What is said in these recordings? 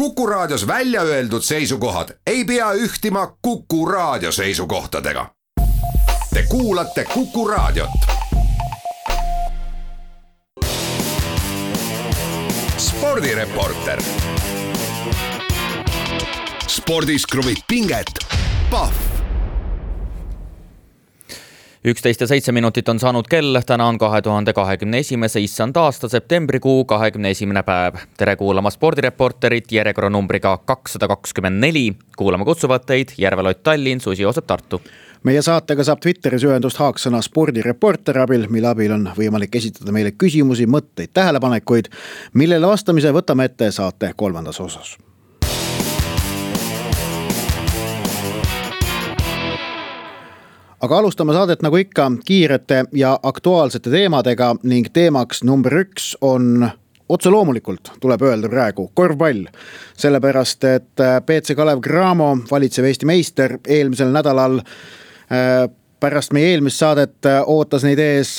Kuku Raadios välja öeldud seisukohad ei pea ühtima Kuku Raadio seisukohtadega. Te kuulate Kuku Raadiot. Spordireporter. Spordis kruvib pinget. Pahv. 11 ja 7 minutit on saanud kell, täna on 2021. issand aasta septembrikuu 21. päev. Tere kuulama Spordireporterit järjekorranumbriga 224. Kuulama kutsuvad teid Järvelott Tallinn, Susi Joosep Tartu. Meie saatega saab Twitteris ühendust haaksõna Spordireporter abil, mille abil on võimalik esitada meile küsimusi, mõtteid, tähelepanekuid, millele vastamise võtame ette saate 3. osas. Aga alustame saadet nagu ikka kiirete ja aktuaalsete teemadega ning teemaks number 1 on otse loomulikult, tuleb öelda praegu, korvpall. Sellepärast, et BC Kalev Cramo, valitsev Eesti meister, eelmisel nädalal pärast meie eelmist saadet ootas neid ees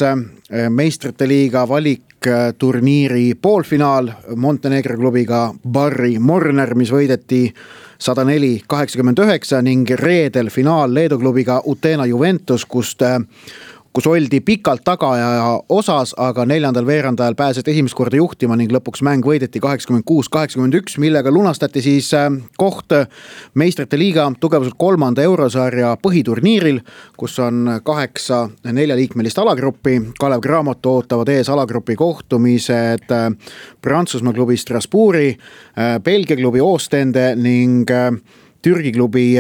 meistrite liiga valikturniiri poolfinaal Montenegro klubiga Barri Morner, mis võideti 104-89 ning reedel finaal Leedu klubiga Utena Juventus, kus oldi pikalt tagaaja osas, aga 4. veerandajal pääset esimest korda juhtima ning lõpuks mäng võideti 86-81, millega lunastati siis koht meistrite liiga tugevuselt 3. eurosarja põhiturniiril, kus on 8 4-liikmelist alagruppi. Kalev Cramot ootavad ees alagrupi kohtumised Prantsusmaa klubi Strasbourgi, Belgia klubi Oostende ning Türgi klubi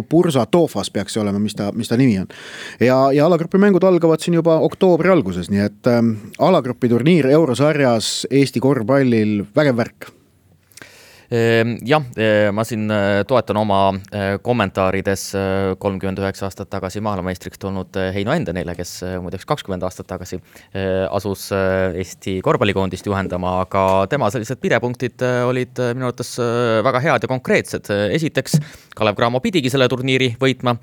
Bursa Tofas peaks olema, mis ta nimi on. Ja alagrupi mängud algavad siin juba oktoobri alguses, nii et alagrupi turniir eurosarjas Eesti korvpallil vägev värk. Jah, ma siin toetan oma kommentaarides 39 aastat tagasi maailmameistriks tulnud Heino Endenile, kes muideks 20 aastat tagasi asus Eesti korvpallikoondist juhendama, aga tema sellised pidepunktid olid minu arvates väga head ja konkreetsed. Esiteks, Kalev Cramo pidigi selle turniiri võitma,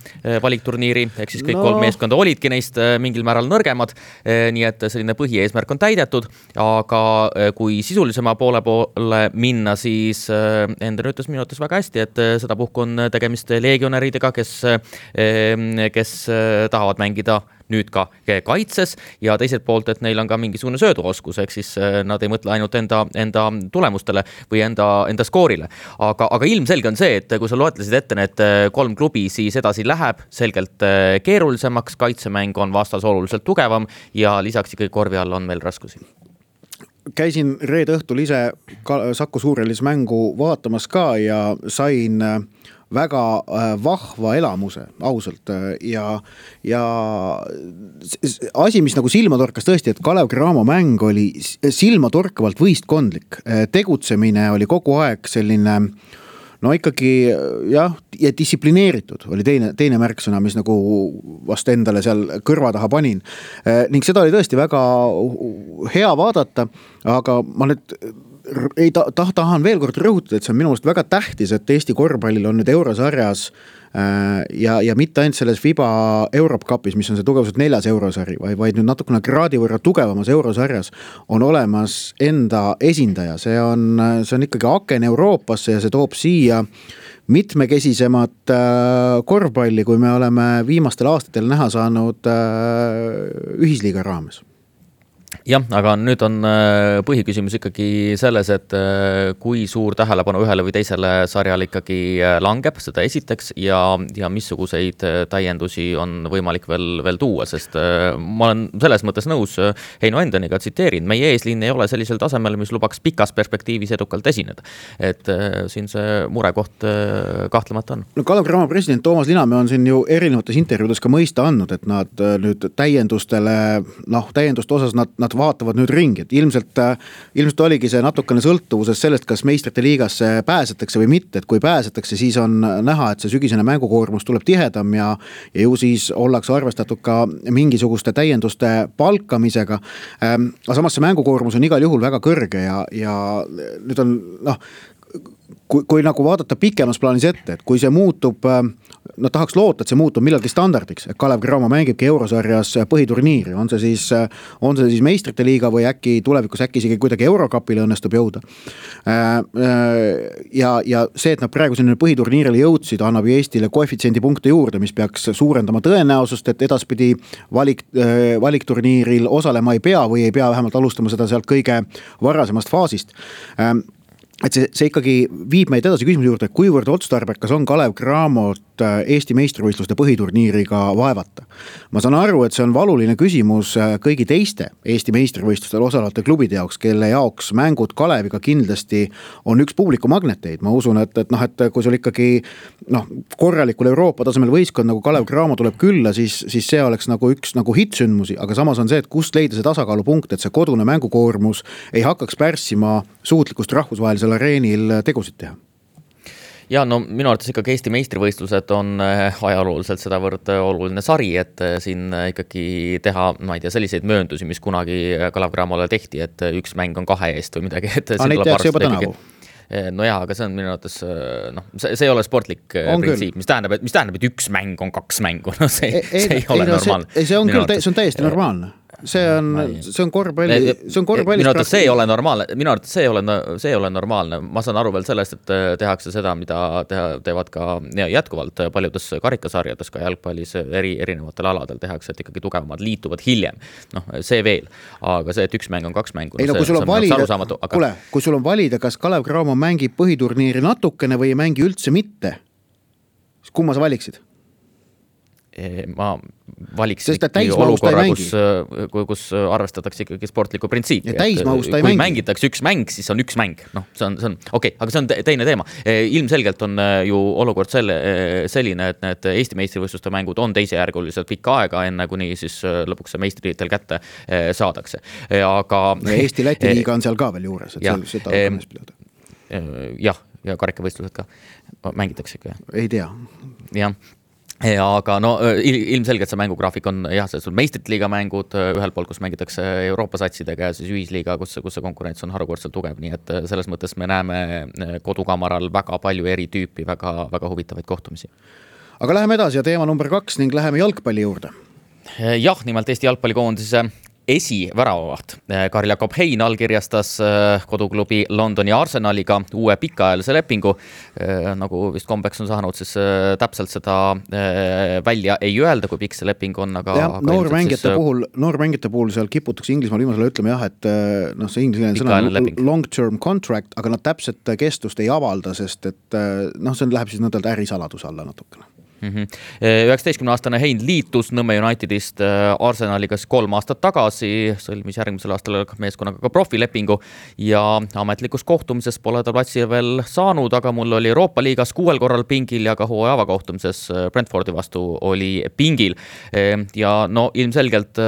valikturniiri, ehk siis kõik 3 meeskonda olidki neist mingil määral nõrgemad, nii et selline põhieesmärk on täidetud, aga kui sisulisema poole minna, siis Enden ütles minu arvates väga hästi, et seda puhku on tegemist legionäridega, kes tahavad mängida nüüd ka kaitses ja teiselt poolt, et neil on ka mingisugune sööduoskus, ehk siis nad ei mõtle ainult enda tulemustele või enda skoorile. Aga ilmselge on see, et kui sa loetlesid ette need 3 klubi, siis edasi läheb selgelt keerulisemaks, kaitsemäng on vastas oluliselt tugevam ja lisaks ikkagi korvi all on meil raskusi. Käisin reede õhtul ise Saku Suurhallis mängu vaatamas ka ja sain väga vahva elamuse, ausalt. Ja asi, mis nagu silma torkas tõesti, et Kalev Cramo mäng oli silma torkavalt võistkondlik. Tegutsemine oli kogu aeg selline ikkagi jah, ja distsiplineeritud oli teine märksõna, mis nagu vast endale seal kõrva taha panin. Ning seda oli tõesti väga hea vaadata, aga ma nüüd tahan veel kord rõhutada, et see on minu meelest väga tähtis, et Eesti korvpallil on nüüd eurosarjas ja mitte ainult selles FIBA Europe Cupis, mis on see tugevuselt 4. eurosari, vaid nüüd natukene kraadi võrra tugevamas eurosarjas on olemas enda esindaja. See on ikkagi aken Euroopasse ja see toob siia mitmekesisemat korvpalli, kui me oleme viimastel aastatel näha saanud ühisliiga raames. Jah, aga nüüd on põhiküsimus ikkagi selles, et kui suur tähelepanu ühele või teisele sarjale ikkagi langeb, seda esiteks, ja missuguseid täiendusi on võimalik veel tuua, sest ma olen selles mõttes nõus Heino Endeniga, tsiteerin, meie eesliin ei ole sellisel tasemel, mis lubaks pikas perspektiivis edukalt esineda. Et siin see murekoht kahtlemata on. No Kalev Cramo president Toomas Linamäe on siin ju erinevates intervjuudes ka mõista andnud, et nad nüüd täienduste osas nad vaatavad nüüd ringi, et ilmselt oligi see natukene sõltuvuses sellest, kas meistrite liigasse pääsetakse või mitte, et kui pääsetakse, siis on näha, et see sügisene mängukoormus tuleb tihedam ja ju siis ollakse arvestatud ka mingisuguste täienduste palkamisega. Aga samas see mängukoormus on igal juhul väga kõrge ja nüüd on kui nagu vaadata pikemas plaanis ette, et kui see muutub, no tahaks loota, et see muutub millalgi standardiks, et Kalev Cramo mängibki eurosarjas põhiturniiri, on see siis meistrite liiga või äkki tulevikus isegi kuidagi Eurokapile õnnestub jõuda. Ja see, et nad praegu sinna põhiturniirile jõudsid, annab Eestile koefitsiendi punkte juurde, mis peaks suurendama tõenäosust, et edaspidi valikturniiril osalema ei pea või ei pea vähemalt alustama seda sealt kõige varasemast faasist. Et see ikkagi viib meid edasi küsimuse juurde, kuivõrd otstarbekas on Kalev Cramot Eesti meistrivõistluste põhiturniiriga vaevata. Ma saan aru, et see on valuline küsimus kõigi teiste Eesti meistrivõistlustel osalevate klubide jaoks, kelle jaoks mängud Kaleviga kindlasti on üks publiku magneteid. Ma usun, et kui sul ikkagi korralikul Euroopa tasemel võistkond nagu Kalev Cramo tuleb külla, siis see oleks nagu üks nagu hitsündmusi, aga samas on see, et kust leida see tasakaalupunkt, et see kodune mängukoormus ei hakkaks pärssima suutlikkust rahvusvahelisel areenil tegusid teha. Ja no minu arvates ikkagi Eesti meistrivõistlused on ajalooliselt sedavõrd oluline sari, et siin ikkagi teha, ma ei tea, selliseid mööndusi, mis kunagi Kalev Cramole tehti, et üks mäng on 2 eest või midagi. Neid tehakse juba tänavu. No jah, aga see on minu arvates, see ei ole sportlik printsiip, mis tähendab, et üks mäng on 2 mängu, no see ei ole normaalne. See on küll, see on täiesti normaalne. See on korvpalli. Minu arvates see ei ole normaalne. Minu arvates see ei ole normaalne. Ma saan aru veel sellest, et tehakse seda, mida teevad ka jätkuvalt paljudes karikasarjades, ka jalgpallis erinevatel aladel tehakse, et ikkagi tugevamad liituvad hiljem. See veel. Aga see, et üks mäng on 2 mängu, kui sul on valida, kas Kalev Cramo mängib põhiturniiri natukene või ei mängi üldse mitte, siis kumma sa valiksid? Ma valiks olukorra, kus arvestatakse ikkagi sportliku printsiipi. Kui mängitakse üks mäng, siis on üks mäng. See on okei, aga see on teine teema. Ilmselgelt on ju olukord selline, et need Eesti meistrivõistluste mängud on teisejärguliselt pikka aega, enne kuni siis lõpuks see meistritel kätte saadakse. Aga Eesti-Läti liiga on seal ka veel juures. Ja karikavõistlused ka mängitakse ikka. Ei tea. Jah. Aga ilmselgelt see mängugraafik on see meistrite liiga mängud ühel pool, kus mängitakse Euroopa satsidega ja siis ühisliiga, kus see konkurents on harukordselt tugev, nii et selles mõttes me näeme kodukamaral väga palju eri tüüpi, väga, väga huvitavaid kohtumisi. Aga läheme edasi ja teema number 2 ning läheme jalgpalli juurde. Jah, nimelt Eesti jalgpallikoondise esiväravavaht. Karl Jakob Hein allkirjastas koduklubi Londoni Arsenaliga uue pikaajalise lepingu. Nagu vist kombeks on saanud, siis täpselt seda välja ei öelda, kui pikk see leping on. Aga noormängijate puhul seal kiputakse Inglismaal viimasele ütlema et see ingliskeelne sõna long-term contract, aga nad täpselt kestust ei avalda, sest et see läheb siis nõndalt ärisaladuse alla natukene. 19-aastane Hein liitus Nõmme Unitedist Arsenaliga 3 aastat tagasi, sõlmis järgmisel aastal meeskonnaga ka profilepingu ja ametlikus kohtumises pole ta platsi veel saanud, aga mul oli Euroopa liigas 6 korral pingil ja ka hooaja avakohtumises Brentfordi vastu oli pingil. Ja ilmselgelt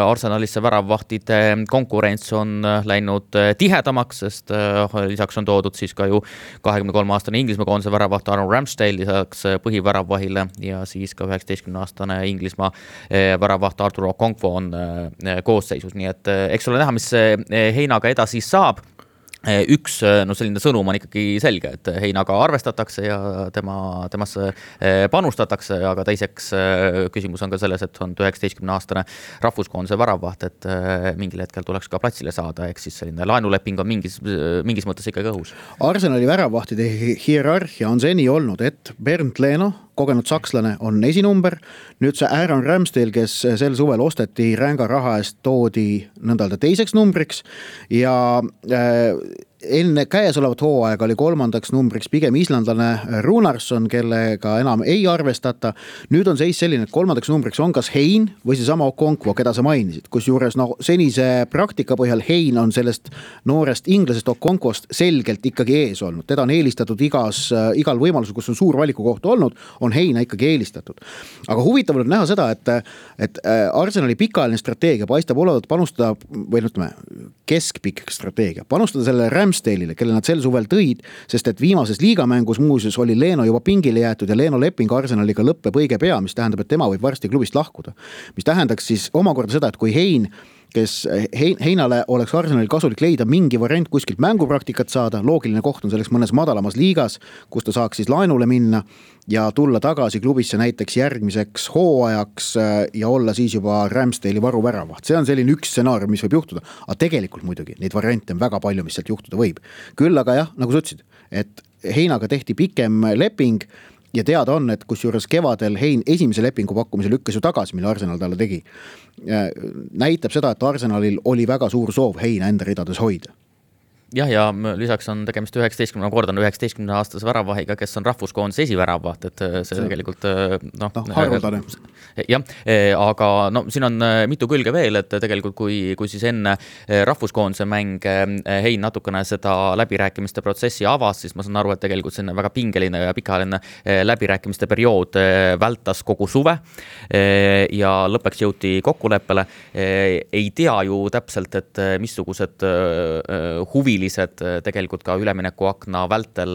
Arsenalisse väravvahtide konkurents on läinud tihedamaks, sest lisaks on toodud siis ka ju 23-aastane Inglismaa koondise väravvaht Aaron Ramsdale lisaks põhiväravvahile ja siis ka 19-aastane Inglismaa väravvaht Artur Okonkwo on koosseisus, nii et eks ole näha, mis Heinaga edasi saab. Üks selline sõnum on ikkagi selge, et Heinaga arvestatakse ja temasse panustatakse, aga teiseks küsimus on ka selles, et on 19-aastane rahvuskoondise väravvaht, et mingil hetkel tuleks ka platsile saada, ehk siis selline laenuleping on mingis mõttes ikkagi õhus. Arsenali väravvahtide hierarhia on seni olnud, et Bernd Leno, kogenud sakslane, on esinumber. Nüüd see Aaron Ramsdale, kes sel suvel osteti ränga raha eest, toodi nõndalda teiseks numbriks ja enne käesolevat hooaega oli 3. numbriks pigem islandlane Runarsson, kellega enam ei arvestata. Nüüd on seis selline, et 3. numbriks on kas Hein või see sama Okonkwo, keda sa mainisid, kus juures senise praktika põhjal Hein on sellest noorest inglasest Okonkwost selgelt ikkagi ees olnud. Teda on eelistatud igal võimalusel, kus on suur valikukoht olnud, on Heina ikkagi eelistatud. Aga huvitav on näha seda, et Arsenali pikaajaline strateegia paistab olevat panustada, või ütleme, keskpikk strateegia, panustada selle Ramsdale'ile, kelle nad sel suvel tõid, sest et viimases liigamängus muuseas oli Leno juba pingile jäetud ja Leno leping Arsenaliga lõppeb õige pea, mis tähendab, et tema võib varsti klubist lahkuda. Mis tähendaks siis omakorda seda, et kui Hein kes Heinale oleks Arsenalil kasulik leida mingi variant kuskilt mängupraktikat saada, loogiline koht on selleks mõnes madalamas liigas, kus ta saaks siis laenule minna ja tulla tagasi klubisse näiteks järgmiseks hooajaks ja olla siis juba Ramsdale'i varuväravaht. See on selline üks stsenaarium, mis võib juhtuda, aga tegelikult muidugi neid variante on väga palju, mis sealt juhtuda võib. Küll aga jah, nagu sa ütlesid, et Heinaga tehti pikem leping ja teada on, et kusjuures kevadel Hein esimese lepingu pakkumise lükkas ju tagasi, mille Arsenal talle tegi. Näitab seda, et Arsenalil oli väga suur soov Heina enda ridades hoida. Jah, ja lisaks on tegemist 19-aastase väravahiga, kes on rahvuskoondise esiväravaht, et see tegelikult haruldane. Jah, aga siin on mitu külge veel, et tegelikult kui siis enne rahvuskoondise mäng Hein natukene seda läbirääkimiste protsessi avas, siis ma saan aru, et tegelikult see on väga pingeline ja pikaajaline läbirääkimiste periood vältas kogu suve ja lõppeks jõuti kokkuleppele. Ei tea ju täpselt, et missugused huvilised tegelikult ka üleminekuakna vältel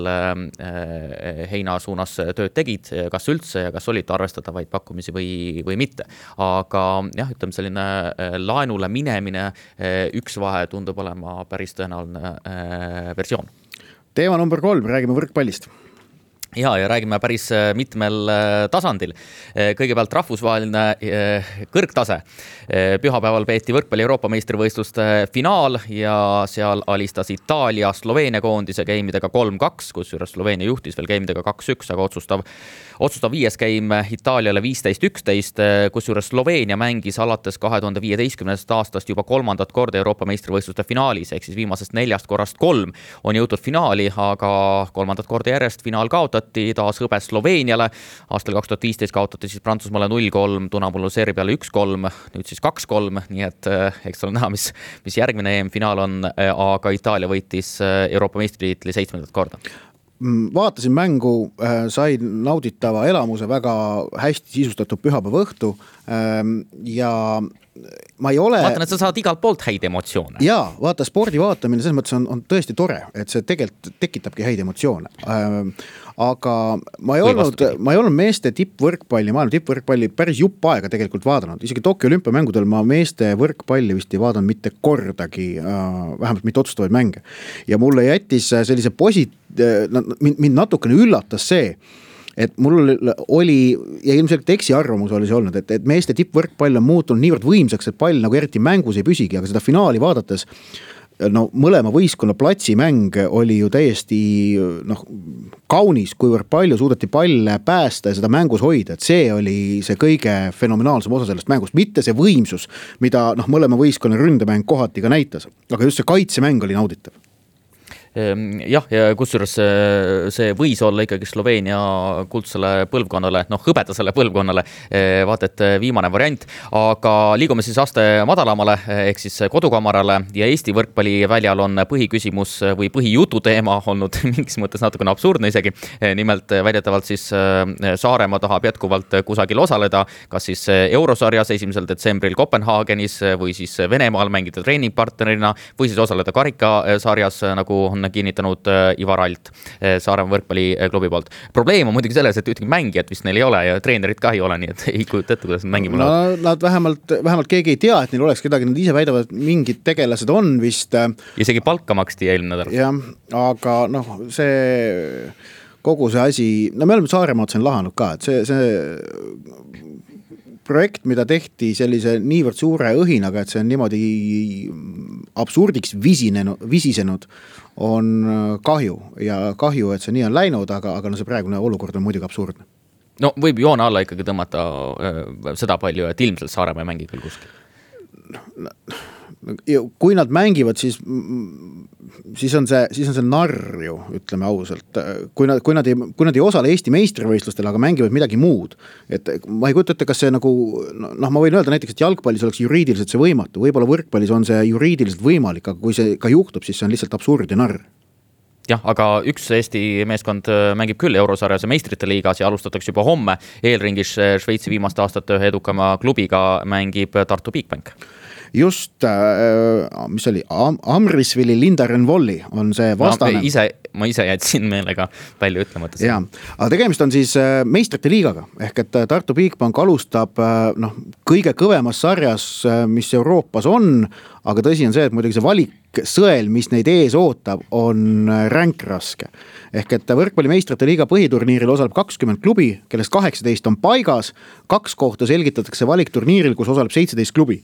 Heina suunas tööd tegid, kas üldse ja kas olid arvestatavaid pakkumisi või mitte. Aga jah, ütleme selline laenule minemine, üks vahe tundub olema päris tõenäoline versioon. Teema number 3, räägime võrkpallist. Ja räägime päris mitmel tasandil. Kõigepealt rahvusvaheline kõrgtase. Pühapäeval peeti võrkpalli Euroopa meistrivõistluste finaal ja seal alistas Itaalia Sloveenia koondise geimidega 3-2, kusjuures Sloveenia juhtis veel geimidega 2-1, aga otsustav viies geim Itaaliale 15-11, kusjuures Sloveenia mängis alates 2015. aastast juba 3. korda Euroopa meistrivõistluste finaalis, ehk siis viimasest 4 korrast 3 on jõutud finaali, aga 3. korda järjest finaal kaotati, taas hõbes Sloveeniale. Aastal 2015 kaotati siis Prantsusmaale 0-3, Tunamullu Serbiale 1-3, nüüd siis 2-3, nii et eks ole näha, mis järgmine EM-finaal on, aga Itaalia võitis Euroopa meistritiitli 7. korda. Vaatasin mängu, sain nauditava elamuse, väga hästi sisustatud pühapäeva õhtu ja ma ei ole... Vaatan, et sa saad igalt poolt häid emotsioone. Jaa, vaata, spordi vaatamine selles mõttes on tõesti tore, et see tegelikult tekitabki häid emotsioone. Aga ma ei olnud meeste maailma tippvõrkpalli päris jupp aega tegelikult vaadanud. Isegi Tokyo olümpiamängudel ma meeste võrkpalli vist ei vaadanud mitte kordagi, vähemalt mitte otsustavaid mänge. Ja mulle jättis sellise mind natukene üllatas see, et mul oli, ja ilmselt eksiarvamus oli see olnud, et meeste tippvõrkpall on muutunud niivõrd võimsaks, et pall nagu eriti mängus ei püsigi, aga seda finaali vaadates mõlema võistkonna platsimäng oli ju täiesti kaunis, kuivõrd palju suudeti palle päästa ja seda mängus hoida, et see oli see kõige fenomenaalsem osa sellest mängust, mitte see võimsus, mida mõlema võistkonna ründemäng kohati ka näitas, aga just see kaitsemäng oli nauditav. Jah, ja kusjuures see võis olla ikkagi Sloveenia kuldsele põlvkonnale, hõbedasele põlvkonnale, vaata, et viimane variant, aga liigume siis aste madalamale, ehk siis kodukamarale ja Eesti võrkpalliväljal on põhiküsimus või põhijutu teema olnud mingis mõttes natukene absurdne isegi. Nimelt väidetavalt siis Saaremaa tahab jätkuvalt kusagil osaleda, kas siis Eurosarjas 1. detsembril Kopenhaagenis või siis Venemaal mängida treeningpartnerina või siis osaleda karikasarjas, nagu on kinnitanud Ivar Alt Saaremaa võrkpalliklubi poolt. Probleem on muidugi selles, et ühtegi mängijat vist neil ei ole ja treenerit ka ei ole, nii et ei kujuta ette, kuidas nad mängima lähevad. Nad vähemalt keegi ei tea, et neil oleks kedagi, nad ise väidavad, et mingid tegelased on vist. Isegi palka maksti eelmine nädal. Jah, aga see kogu see asi, me oleme Saaremaad sen lahanud ka, et see projekt, mida tehti sellise niivõrd suure õhinaga, et see on niimoodi absurdiks visisenud, on kahju ja kahju, et see nii on läinud, aga see praegune olukord on muidugi absurdne. Võib joone alla ikkagi tõmmata seda palju, et ilmselt Saaremaa mängi küll kuskil. Kui nad mängivad, siis on see narr ju, ütleme ausalt. Kui nad ei osale Eesti meistrivõistlustel, aga mängivad midagi muud. Et ma ei kujuta ette, kas see ma võin öelda näiteks, et jalgpallis oleks juriidiliselt see võimatu. Võib-olla võrkpallis on see juriidiliselt võimalik, aga kui see ka juhtub, siis see on lihtsalt absurd ja narr. Jah, aga üks Eesti meeskond mängib küll Eurosarjas ja meistrite liigas ja alustatakse juba homme. Eelringis Šveitsi viimaste aastate ühe edukama klubiga mängib Tartu Bigbank. Just, mis oli, Amrisvili Lindarenvolli on see vastane. ma ise jätsin meelega välja ütlemata. Jaa, aga tegemist on siis meistrite liigaga, ehk et Tartu Bigbank alustab kõige kõvemas sarjas, mis Euroopas on, aga tõsi on see, et muidugi see valiksõel, mis neid ees ootab, on ränk raske. Ehk et võrkpallimeistrite liiga põhiturniiril osaleb 20 klubi, kellest 18 on paigas, 2 kohta selgitatakse valikturniiril, kus osaleb 17 klubi.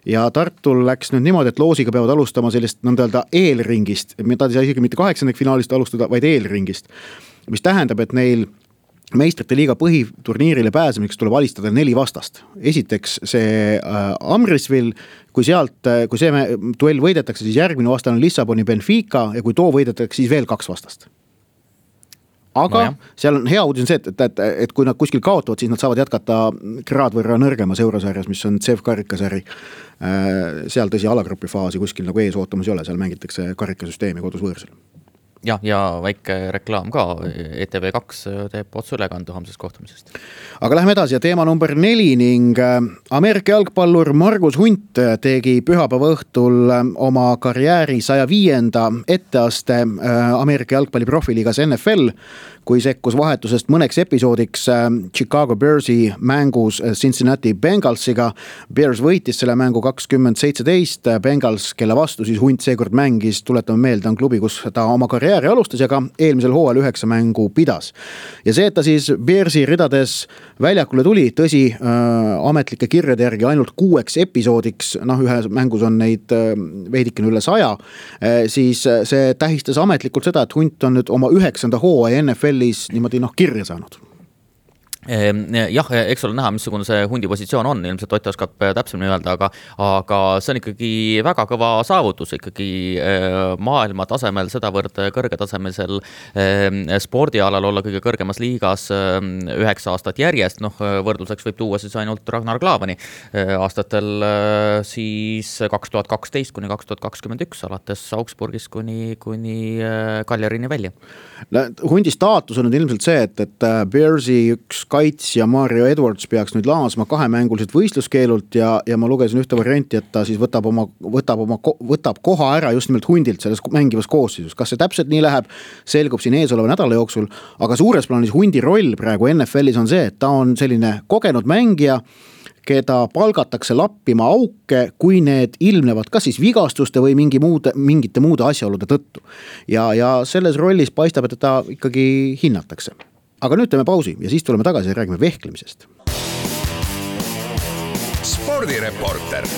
Ja Tartul läks nüüd niimoodi, et loosiga peavad alustama sellist nõnda eelringist, mida ei saa isegi mitte 8. finaalist alustada, vaid eelringist, mis tähendab, et neil meistrite liiga põhiturniirile pääsemiseks tuleb alistada 4 vastast. Esiteks see Amrisville, kui see duell võidetakse, siis järgmine vastane on Lissaboni Benfica ja kui too võidetakse, siis veel 2 vastast. Aga seal on hea uudis on see, et kui nad kuskil kaotavad, siis nad saavad jätkata kraad võrra nõrgemas eurosarjas, mis on CEF karikasari. Seal tõsi alagrupi faasi kuskil nagu ees ootamas ei ole, seal mängitakse karikasüsteemi kodus võõrsil. Ja väike reklaam ka, ETV2 teeb otseülekande homsest kohtumisest. Aga lähme edasi ja teema number 4 ning Ameerika jalgpallur Margus Hunt tegi pühapäeva õhtul oma karjääri 105. etteaste Ameerika jalgpalli profiliigas NFL, kui sekkus vahetusest mõneks episoodiks Chicago Bearsi mängus Cincinnati Bengalsiga. Bears võitis selle mängu 20-17, Bengals, kelle vastu siis Hunt seekord mängis, tuletame meelde, on klubi, kus ta oma karjääri alustas ja ka eelmisel hooajal 9 mängu pidas. Ja see, et ta siis Bearsi ridades väljakule tuli, tõsi, ametlike kirjade järgi ainult 6 episoodiks, ühes mängus on neid veidikene üle 100, siis see tähistas ametlikult seda, et Hunt on nüüd oma 9. hooaja NFL-is niimoodi kirja saanud. Jah, eks ole näha, missugune see Hundi positsioon on, ilmselt Ott oskab täpsemini öelda, aga see on ikkagi väga kõva saavutus, ikkagi maailma tasemel, sedavõrd kõrgetasemesel spordialal olla kõige kõrgemas liigas 9 aastat järjest, võrdluseks võib tuua siis ainult Ragnar Klavani aastatel siis 2012 kuni 2021, alates Augsburgis kuni Kaljarini välja. Hundi staatus on nüüd ilmselt see, et Bearsi üks kaits ja Mario Edwards peaks nüüd laasma 2-mänguliselt võistluskeelult ja ma lugesin ühte varianti, et ta siis võtab koha ära just nimelt Hundilt selles mängivas koosseisus. Kas see täpselt nii läheb, selgub siin ees oleva nädala jooksul, aga suures plaanis Hundi roll praegu NFL-is on see, et ta on selline kogenud mängija, keda palgatakse lappima auke, kui need ilmnevad kas siis vigastuste või mingite muude asjaolude tõttu. Ja selles rollis paistab, et ta ikkagi hinnatakse. Aga nüüd teeme pausi ja siis tuleme tagasi ja räägime vehklemisest. Spordireporter.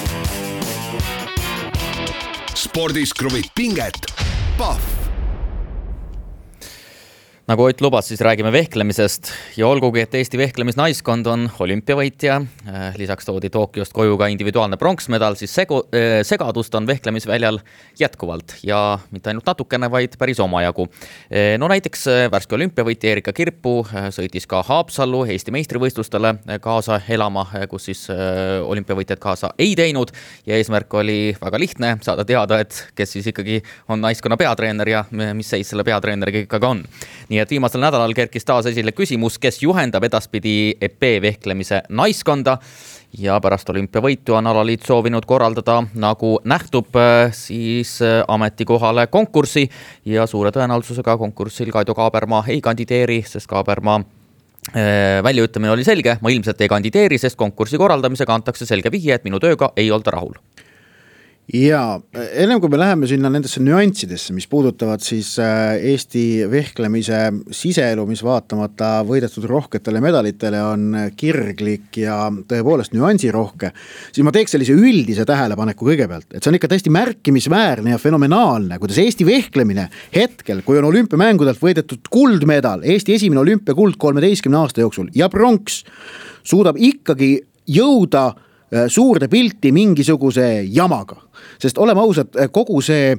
Spordis kruvib pinget. Pahv. Nagu Ott lubas, siis räägime vehklemisest ja olgugi, et Eesti vehklemisnaiskond on olümpiavõitja, lisaks toodi Tokyost koju ka individuaalne pronksmedal, siis segadust on vehklemisväljal jätkuvalt ja mitte ainult natukene, vaid päris omajagu. No näiteks värske olümpiavõitja Erika Kirpu sõitis ka Haapsallu Eesti meistrivõistlustele kaasa elama, kus siis olümpiavõitjad kaasa ei teinud ja eesmärk oli väga lihtne saada teada, et kes siis ikkagi on naiskonna peatreener ja mis seis selle peatreeneriga ikkagi on. Nii et viimasel nädalal kerkis taas esile küsimus, kes juhendab edaspidi EP vehklemise naiskonda ja pärast olümpiavõitu on alaliit soovinud korraldada, nagu nähtub, siis ametikohale konkursi ja suure tõenäosusega konkursil Kaido Kaabermaa ei kandideeri, sest Kaabermaa väljaütlemine oli selge, ma ilmselt ei kandideeri, sest konkursi korraldamisega antakse selge vihje, et minu tööga ei olda rahul. Ja ennem kui me läheme sinna nendesse nüanssidesse, mis puudutavad siis Eesti vehklemise siseelu, mis vaatamata võidetud rohketele medalitele on kirglik ja tõepoolest nüansirohke, siis ma teeks sellise üldise tähelepaneku kõigepealt, et see on ikka tõesti märkimisväärne ja fenomenaalne, kuidas Eesti vehklemine hetkel, kui on olümpiamängudelt võidetud kuldmedal, Eesti esimene olümpiakuld 13 aasta jooksul ja pronks, suudab ikkagi jõuda suurde pilti mingisuguse jamaga. Sest oleme ausad, kogu see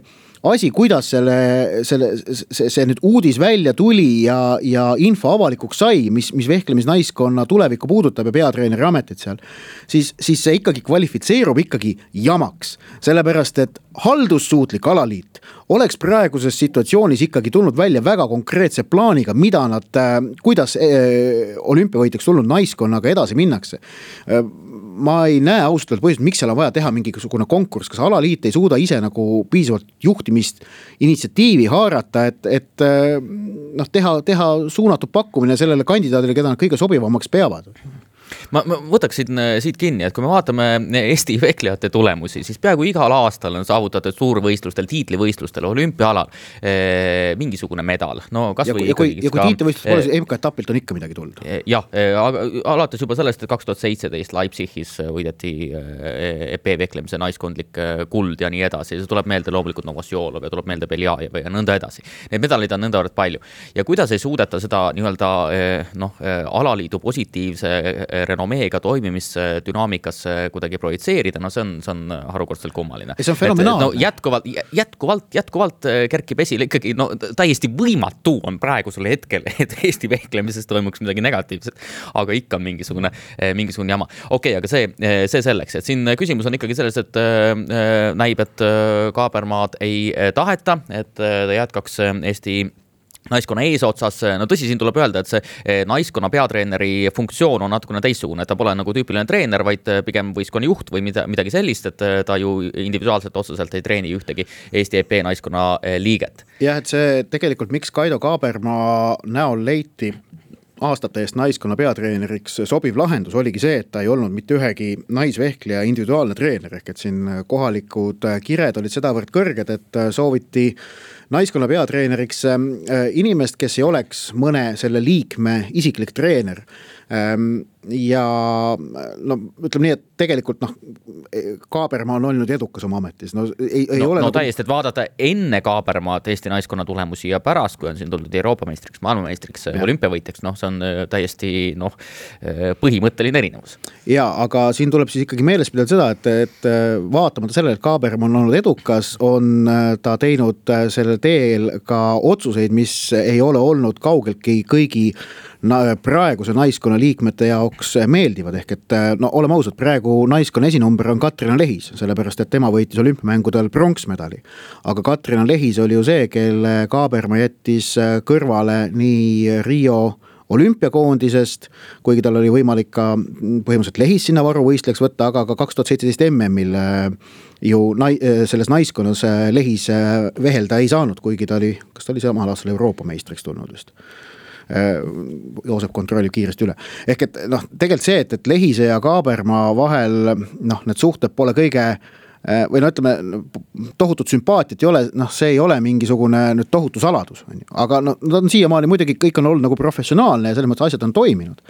asi, kuidas see nüüd uudis välja tuli ja info avalikuks sai, mis vehklemisnaiskonna tulevikku puudutab ja peatreeneri ametit seal, siis see ikkagi kvalifitseerub ikkagi jamaks. Sellepärast, et haldussuutlik alaliit oleks praeguses situatsioonis ikkagi tulnud välja väga konkreetse plaaniga, mida nad, kuidas olümpiavõitjaks tulnud naiskonnaga edasi minnakse. Ma ei näe ausalt põhjust, miks seal on vaja teha mingisugune konkurss, kas alaliit ei suuda ise nagu piisavalt juhtimist, initsiatiivi haarata, et teha suunatud pakkumine sellele kandidaadile, keda nad kõige sobivamaks peavad. Ma võtaksin siit kinni, et kui me vaatame Eesti vehklejate tulemusi, siis peaaegu igal aastal on saavutatud suurvõistlustel, tiitlivõistlustel, olümpiaalal mingisugune medal. No, ja kui tiitlivõistlus pole, siis MK-etapilt on ikka midagi tulnud. Jah, alates juba sellest, et 2017 Leipzigis võideti EP-vehklemise naiskondlik kuld ja nii edasi. See tuleb meelde loomulikult Novosjolov ja tuleb meelde Beljajev ja nõnda edasi. Need medalid on nõnda palju. Ja kuidas ei suudeta seda nii-öelda alaliidu positiivse renomeega toimimisdünaamikas kuidagi projitseerida, no see on harukordselt kummaline. See on fenomenaalne. Jätkuvalt kerkib esile ikkagi, täiesti võimatu on praegusel hetkel, et Eesti vehklemises toimuks midagi negatiivset, aga ikka on mingisugune jama. Okei, aga see selleks, et siin küsimus on ikkagi selles, et näib, et Kaabermaad ei taheta, et ta jätkaks Eesti naiskonna eesotsas, no tõsi, siin tuleb öelda, et see naiskonna peatreeneri funktsioon on natukene teissugune, et ta pole nagu tüüpiline treener, vaid pigem võistkonna juht või midagi sellist, et ta ju individuaalselt otseselt ei treeni ühtegi Eesti EP naiskonna liiget. Jah, et see tegelikult, miks Kaido Kaabermaa näol leiti aastate eest naiskonna peatreeneriks sobiv lahendus oligi see, et ta ei olnud mitte ühegi naisvehkleja individuaalne treener, ehk et siin kohalikud kired olid sedavõrd kõrged, et sooviti naiskonna peatreeneriks inimest, kes ei oleks mõne selle liikme isiklik treener. Ja ütleme nii, et tegelikult Kaabermaa on olnud edukas oma ametis. Täiesti, et vaadata enne Kaabermaad Eesti naiskonna tulemusi ja pärast, kui on siin tulnud Euroopa meistriks, maailmameistriks, olümpiavõitjaks, see on täiesti põhimõtteline erinevus. Ja, aga siin tuleb siis ikkagi meeles pidada seda, et vaatamata sellele, et Kaabermaa on olnud edukas, on ta teinud selle teel ka otsuseid, mis ei ole olnud kaugeltki kõigi praeguse naiskonna liikmete jaoks meeldivad, ehk et oleme ausad, praegu naiskonna esinumber on Katrina Lehis, sellepärast et tema võitis olümpiamängudel pronksmedali. Aga Katrina Lehis oli ju see, kelle Kaabermaa jättis kõrvale nii Rio olümpiakoondisest, kuigi tal oli võimalik ka põhimõtteliselt Lehis sinna varuvõistlejaks võtta, aga ka 2017 MM-il ju selles naiskonnas Lehis vehelda ei saanud, kuigi ta oli, kas ta oli samal aastal Euroopa meistriks tulnud vist. Joosep kontrollib kiiresti üle. Ehk et tegelikult see, et Lehise ja Kaabermaa vahel need suhted pole kõige või ütleme, tohutut sümpaatiat ei ole, see ei ole mingisugune nüüd tohutu saladus. Aga nad on siiamaani muidugi kõik on olnud nagu professionaalne ja selles mõttes asjad on toiminud.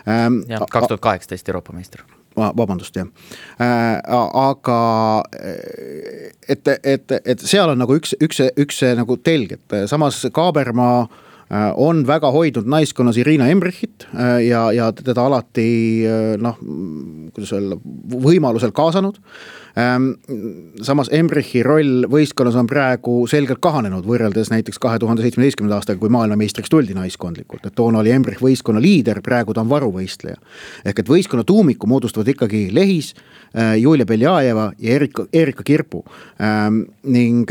2018 Euroopa meister. Vabandust, jah. Aga et seal on nagu üks nagu telg, et samas Kaabermaa on väga hoidnud naiskonnas Irina Embrichit ja teda alati kuidas öelda, võimalusel kaasanud. Samas Embrichi roll võistkonnas on praegu selgelt kahanenud võrreldes näiteks 2017. aastaga, kui maailmameistriks tuldi naiskondlikult. Et toona oli Embrich võistkonna liider, praegu ta on varuvõistleja. Ehk et võistkonna tuumiku moodustavad ikkagi Lehis, Julia Beljajeva ja Erika Kirpu. Ning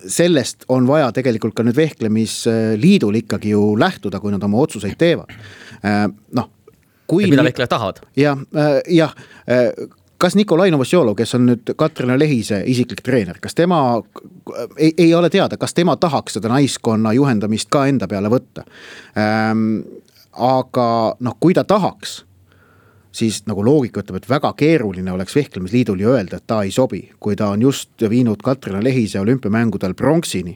sellest on vaja tegelikult ka nüüd vehklemisliidul ikkagi ju lähtuda, kui nad oma otsuseid teevad. Mida vehklejad tahavad? Jah, kas Nikolai Novosjolov, kes on nüüd Katrina Lehise isiklik treener, kas tema ei ole teada, kas tema tahaks seda naiskonna juhendamist ka enda peale võtta? Aga kui ta tahaks, siis nagu loogika ütleb, et väga keeruline oleks vehklemisliidul ju öelda, et ta ei sobi, kui ta on just viinud Katrina Lehise olümpiamängudel pronksini.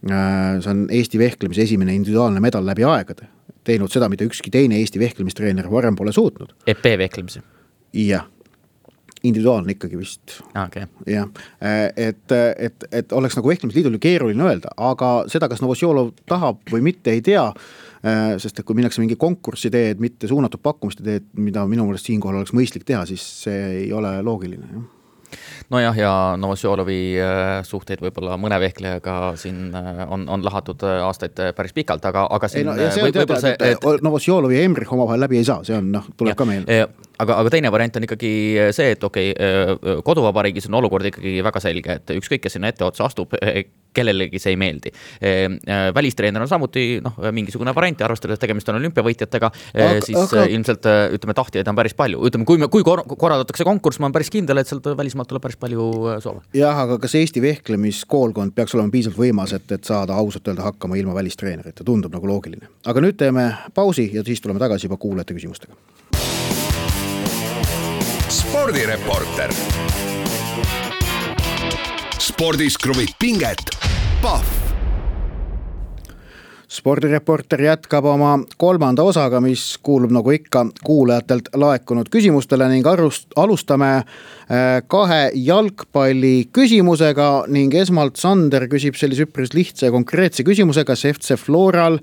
See on Eesti vehklemise esimene individuaalne medal läbi aegade. Teinud seda, mida ükski teine Eesti vehklemistreener varem pole suutnud. EP vehklemise? Jah, individuaalne ikkagi vist. Okay. Jah, et oleks nagu vehklemisliidul keeruline öelda, aga seda, kas Novosjolov tahab või mitte, ei tea, sest kui minnakse mingi konkurssi teed, mitte suunatud pakkumiste teed, mida minu meelest siinkohal oleks mõistlik teha, siis see ei ole loogiline. Nojah, ja Novosjolovi suhteid võib-olla mõne vehklejaga siin on lahatud aastaid päris pikalt, aga siin Novosjolovi ja Emrich omavahel läbi ei saa, see on, tuleb ka meil. Aga teine variant on ikkagi see, et koduvabariigis on olukord ikkagi väga selge, et ükskõik, kes sinna etteotsa astub, kellelegi see ei meeldi. Välistreener on samuti mingisugune variant, arvestades tegemist on olümpiavõitjatega, siis ilmselt ütleme, tahtjaid on päris palju. Ütleme, kui korraldatakse konkurss, ma on päris kindel, et sealt välismaalt tuleb päris palju soove. Jah, aga kas Eesti vehklemiskoolkond peaks olema piisavalt võimas, et saada ausalt öelda hakkama ilma välistreenerite? Tundub nagu loogiline. Aga nüüd teeme pausi ja siis tuleme tagasi juba kuulajate küsimustega. Spordireporter. Spordis kruvib pinget. Pahv. Spordireporter jätkab oma kolmanda osaga, mis kuulub nagu ikka kuulajatelt laekunud küsimustele ning alustame kahe jalgpalli küsimusega ning esmalt Sander küsib sellise üpris lihtsa ja konkreetse küsimuse, kas FC Floral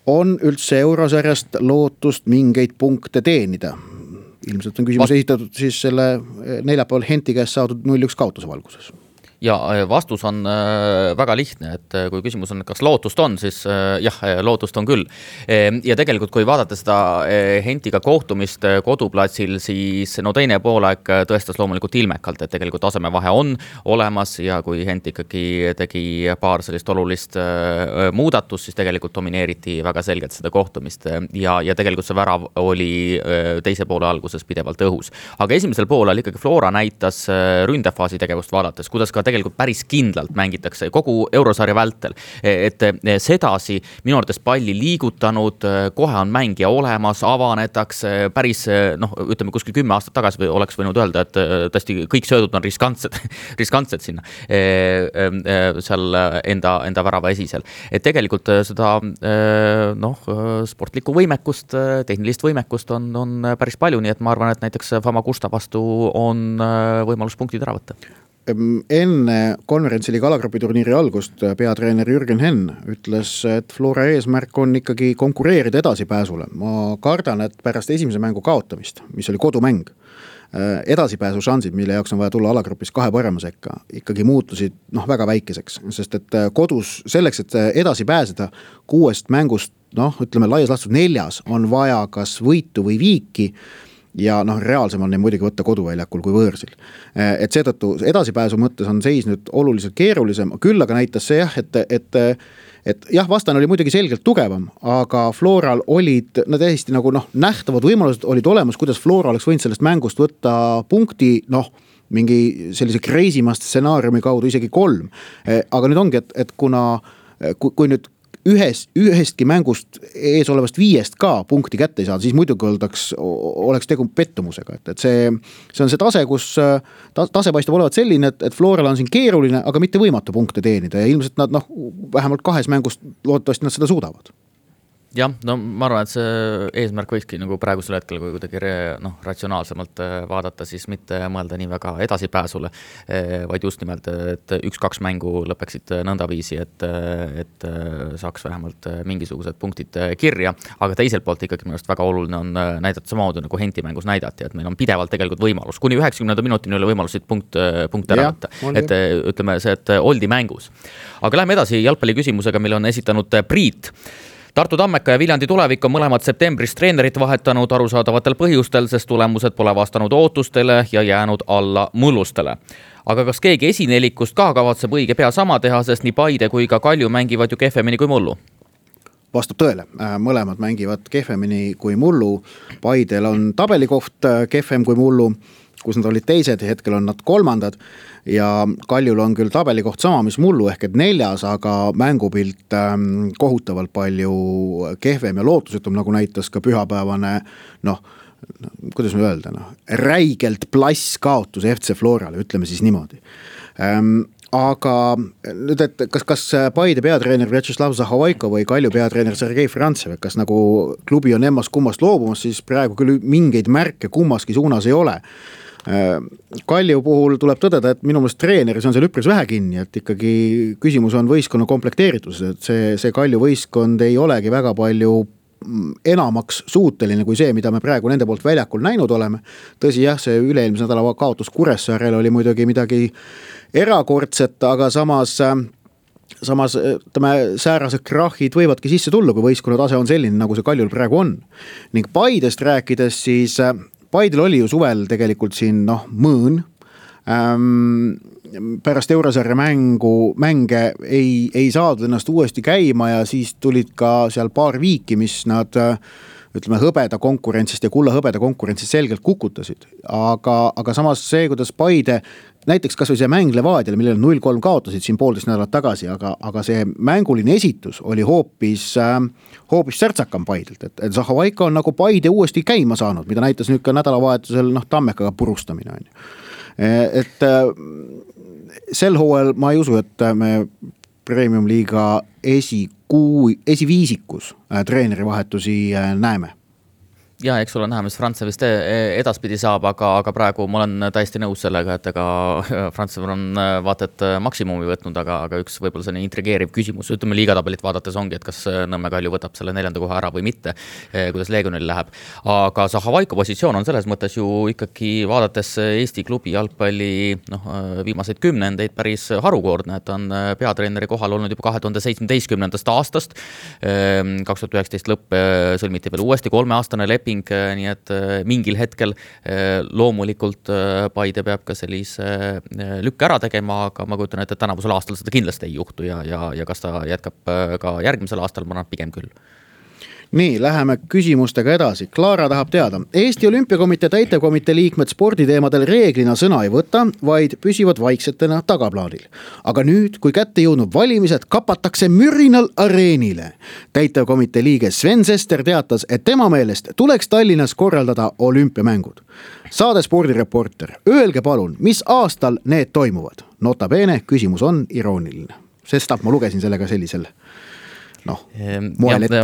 on üldse eurosarjast lootust mingeid punkte teenida? Ilmselt on küsimus esitatud siis selle neljapäeval Henti käest saadud 0-1 kaotuse valguses. Ja vastus on väga lihtne, et kui küsimus on, kas lootust on, siis jah, lootust on küll. Ja tegelikult, kui vaadata seda Hentiga kohtumist koduplatsil, siis teine poolaeg tõestas loomulikult ilmekalt, et tegelikult tasemevahe on olemas ja kui Hent ikkagi tegi paar sellist olulist muudatust, siis tegelikult domineeriti väga selgelt seda kohtumist ja tegelikult see värav oli teise poole alguses pidevalt õhus. Aga esimesel poolel ikkagi Flora näitas ründefaasi tegevust vaadates, kuidas ka tegelikult päris kindlalt mängitakse kogu eurosarja vältel, et sedasi minu arvates palli liigutanud, kohe on mängija olemas, avanetakse päris, ütleme kuskil 10 aastat tagasi või oleks võinud öelda, et tõesti kõik söödud on riskantsed sinna seal enda värava esisel. Et tegelikult seda sportlikku võimekust, tehnilist võimekust on päris palju, nii et ma arvan, et näiteks Famagusta vastu on võimalus punktid ära võtta. Enne konverentsiliiga alagrupiturniiri algust peatreener Jürgen Henn ütles, et Flora eesmärk on ikkagi konkureerida edasipääsule. Ma kardan, et pärast esimese mängu kaotamist, mis oli kodumäng, edasipääsu šansid, mille jaoks on vaja tulla alagrupis 2 parema sekka, ikkagi muutusid väga väikeseks, sest et kodus selleks, et edasi pääseda 6 mängust, ütleme laias laastus 4 on vaja kas võitu või viiki, ja reaalsem on neid muidugi võtta koduväljakul kui võõrsil. Et seetõttu edasipääsu mõttes on seis nüüd oluliselt keerulisem, küll aga näitas see jah, et jah, vastane oli muidugi selgelt tugevam, aga Floral olid täiesti nagu nähtavad võimalused olid olemas, kuidas Flora oleks võinud sellest mängust võtta punkti, mingi sellise kreisimast stsenaariumi kaudu isegi 3. Aga nüüd ongi, et kui nüüd ühestki mängust ees olevast 5 ka punkti kätte ei saada, siis muidugi oleks tegu pettumusega. Et see on see tase, kus tase paistab olevat selline, et Floral on siin keeruline, aga mitte võimatu punkte teenida ja ilmselt nad vähemalt 2 mängust loodetavasti nad seda suudavad. Jah, ma arvan, et see eesmärk võikski nagu praegusel hetkel, kui kuidagi ratsionaalsemalt vaadata, siis mitte mõelda nii väga edasipääsule, vaid just nimelt, et 1-2 mängu lõpeksid nõndaviisi, et saaks vähemalt mingisugused punktid kirja, aga teiselt poolt ikkagi minu arust väga oluline on näidata samamoodi nagu Henti mängus näidati, et meil on pidevalt tegelikult võimalus, kuni 90 minutini oli võimalusid punkte ära võtta, et ütleme see, et oldi mängus. Aga läheme edasi jalgpalli küsimusega, mille on esitanud Priit. Tartu Tammeka ja Viljandi Tulevik on mõlemad septembris treenerit vahetanud arusaadavatel põhjustel, sest tulemused pole vastanud ootustele ja jäänud alla mullustele. Aga kas keegi esinelikust ka kavatseb õige pea sama teha, sest nii Paide kui ka Kalju mängivad ju kehvemini kui mullu? Vastab tõele, mõlemad mängivad kehvemini kui mullu. Paidel on tabelikoht kehvem kui mullu, kus nad olid teised ja hetkel on nad 3. ja Kaljul on küll tabelikoht sama, mis mullu ehk et 4, aga mängupilt kohutavalt palju kehvem ja lootusetum, nagu näitas ka pühapäevane, kuidas me öelda, räigelt plass kaotus FC Florale, ütleme siis niimoodi. Aga nüüd, et kas Paide peatreener Vjatšeslav Zahovaiko või Kalju peatreener Sergei Frantsev, kas nagu klubi on emmast kummast loobumas, siis praegu küll mingeid märke kummaski suunas ei ole. Kalju puhul tuleb tõdeda, et minu meelest treeneris on seal üpris vähe kinni, et ikkagi küsimus on võistkonna komplekteeritus, et see Kalju võistkond ei olegi väga palju enamaks suuteline kui see, mida me praegu nende poolt väljakul näinud oleme. Tõsi jah, see üle-eelmise nädala kaotus Kuressaarel oli muidugi midagi erakordset, aga samas säärased krahhid võivadki sisse tulla, kui võistkonna tase on selline, nagu see Kaljul praegu on. Ning Paidest rääkides, siis Paidel oli ju suvel tegelikult siin mõõn. Pärast Eurosarja mänge ei saadud ennast uuesti käima ja siis tulid ka seal paar viiki, mis nad hõbeda konkurentsist ja kulla hõbeda konkurentsist selgelt kukutasid. Aga samas see, kuidas Paide, näiteks kas või see mäng Levadiale, millel 0-3 kaotasid siin 1,5 nädalat tagasi, aga see mänguline esitus oli hoopis särtsakam Paidelt, et Zahovaiko on nagu Paide uuesti käima saanud, mida näitas nüüd ka nädalavahetusel Tammekaga purustamine on ju. Et sel hooajal ma ei usu, et me Premium Liiga esiviisikus treeneri vahetusi näeme. Ja, eks ole näha, mis Frantse vist edaspidi saab, aga praegu ma olen täiesti nõus sellega, et ega Frantse on vaatet maksimumi võtnud, aga üks võib-olla selline intrigeeriv küsimus, ütleme liigatabelit vaadates ongi, et kas Nõmme Kalju võtab selle 4. koha ära või mitte, kuidas Leegionil läheb. Aga Zahovaiko positsioon on selles mõttes ju ikkagi vaadates Eesti klubi jalgpalli viimaseid 10 päris harukordne, et on peatreeneri kohal olnud juba 2017. aastast. 2019 lõpp sõlmiti veel uuesti 3-aastane leping, nii et mingil hetkel loomulikult Paide peab ka sellise lükke ära tegema, aga ma kujutan, et tänavusel aastal seda kindlasti ei juhtu ja kas ta jätkab ka järgmisel aastal, ma arvan pigem küll. Nii, läheme küsimustega edasi. Klaara tahab teada. Eesti Olümpiakomitee täitevkomitee liikmed sporditeemadel reeglina sõna ei võta, vaid püsivad vaiksetena tagaplaanil. Aga nüüd, kui kätte jõudnud valimised, kapatakse mürinal areenile. Täitevkomitee liige Sven Sester teatas, et tema meelest tuleks Tallinnas korraldada olümpiamängud. Saade spordireporter, öelge palun, mis aastal need toimuvad? Nota bene, küsimus on irooniline. Sest ma lugesin sellega sellisel moel ette.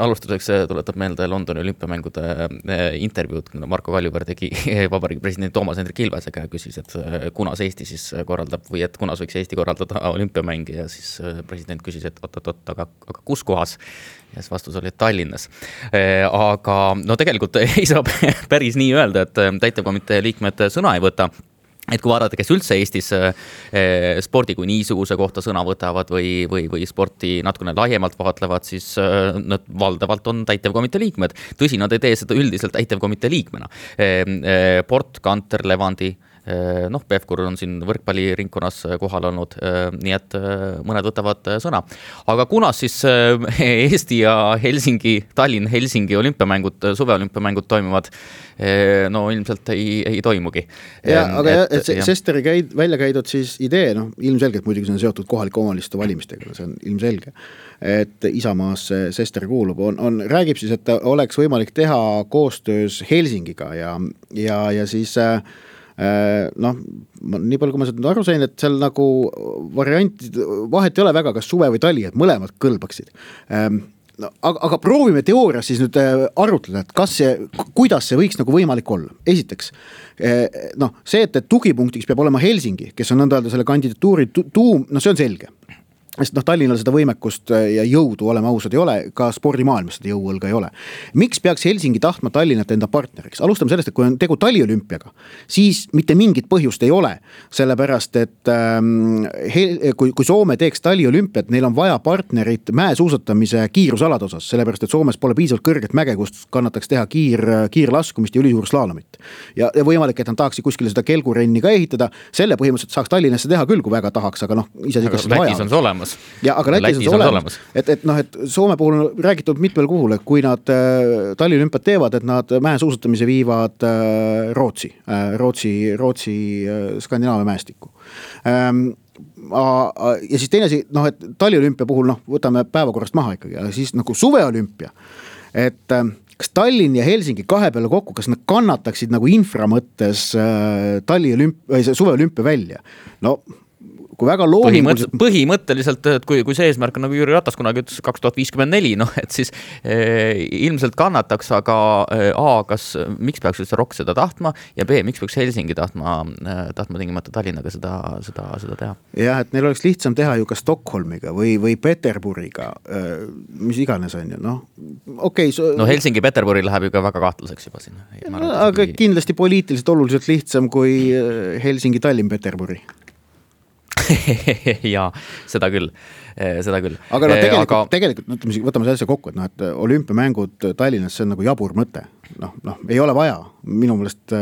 Alustuseks tuletab meelde Londoni olümpiamängude intervjuud, Marko Kaljuveer tegi vabariigi president Toomas Hendrik Ilvesega ja küsis, et kunas Eesti siis korraldab või et kunas võiks Eesti korraldada olümpiamängi ja siis president küsis, et aga kus kohas? Ja siis vastus oli Tallinnas. Aga tegelikult ei saa päris nii öelda, et täitevkomitee liikmed sõna ei võta. Et kui vaadata, kes üldse Eestis spordi kui niisuguse kohta sõna võtavad või sporti natukene laiemalt vaatlevad, siis nad valdavalt on täitevkomitee liikmed. Tõsi, nad ei tee seda üldiselt täitevkomitee liikmena. Port, Kanter, Levandi, Pevkur on siin võrkpalliringkonnas kohal olnud, nii et mõned võtavad sõna. Aga kunas siis Eesti ja Tallinn-Helsingi olümpiamängud, suveolümpiamängud toimuvad? Ilmselt ei toimugi. Sesteri välja käidud siis idee, ilmselgelt muidugi see on seotud kohalike omavalitsuste valimistega, see on ilmselge, et Isamaas Sester kuulub, räägib siis, et oleks võimalik teha koostöös Helsingiga ja siis nii palju, kui ma seda aru sain, et seal nagu variantid, vahet ei ole väga, kas suve või tali, et mõlemad kõlbaksid. Aga proovime teoorias siis nüüd arutleda, et kuidas see võiks nagu võimalik olla. Esiteks, see, et tugipunktiks peab olema Helsingi, kes on nõnda öelda selle kandidatuuri tuum, see on selge. Sest Tallinnal seda võimekust ja jõudu, oleme ausad, ei ole, ka spordimaailmas seda jõuõlga ei ole. Miks peaks Helsingi tahtma Tallinnat enda partneriks? Alustame sellest, et kui on tegu taliolümpiaga, siis mitte mingit põhjust ei ole, sellepärast, et kui Soome teeks taliolümpiat, neil on vaja partnerit mäesuusatamise kiirusalade osas, sellepärast, et Soomes pole piisavalt kõrget mäge, kust kannataks teha kiirlaskumist ja ülisuurslaalomit. Ja võimalik, et nad tahaksid kuskile seda kelgurenni ka ehitada, selle põhimõtteliselt saaks Tallinnasse teha küll, kui väga tahaks, aga Lätis on see olemas. Ja, aga Lätis on olemas. Et Soome puhul on räägitud mitmel kuhul, et kui nad taliolümpiat teevad, et nad mäesuusatamise viivad Rootsi Skandinaavia mäestikku. Ja siis teine asi, et taliolümpia puhul võtame päevakorrast maha ikkagi, ja siis nagu suveolümpia, et kas Tallinn ja Helsingi kahe peale kokku, kas nad kannataksid nagu infra mõttes suveolümpia välja? kui väga loominguliselt... Põhimõtteliselt, et kui see eesmärk on nagu Jüri Ratas kunagi ütles 2054, et siis ilmselt kannataks, aga miks peaks üldse Rock seda tahtma ja B, miks peaks Helsingi tahtma tingimata Tallinnaga seda teha? Jah, et neil oleks lihtsam teha ju ka Stockholmiga või Peterburiga, mis iganes on ju, No Helsingi-Peterburi läheb ju ka väga kahtluseks juba sinna. Aga kindlasti poliitiliselt oluliselt lihtsam kui Helsingi-Tallinn-Peterburi. Jaa, seda küll. Aga tegelikult võtame selle kokku, et olümpiamängud Tallinnas, see on nagu jabur mõte. Ei ole vaja. Minu meelest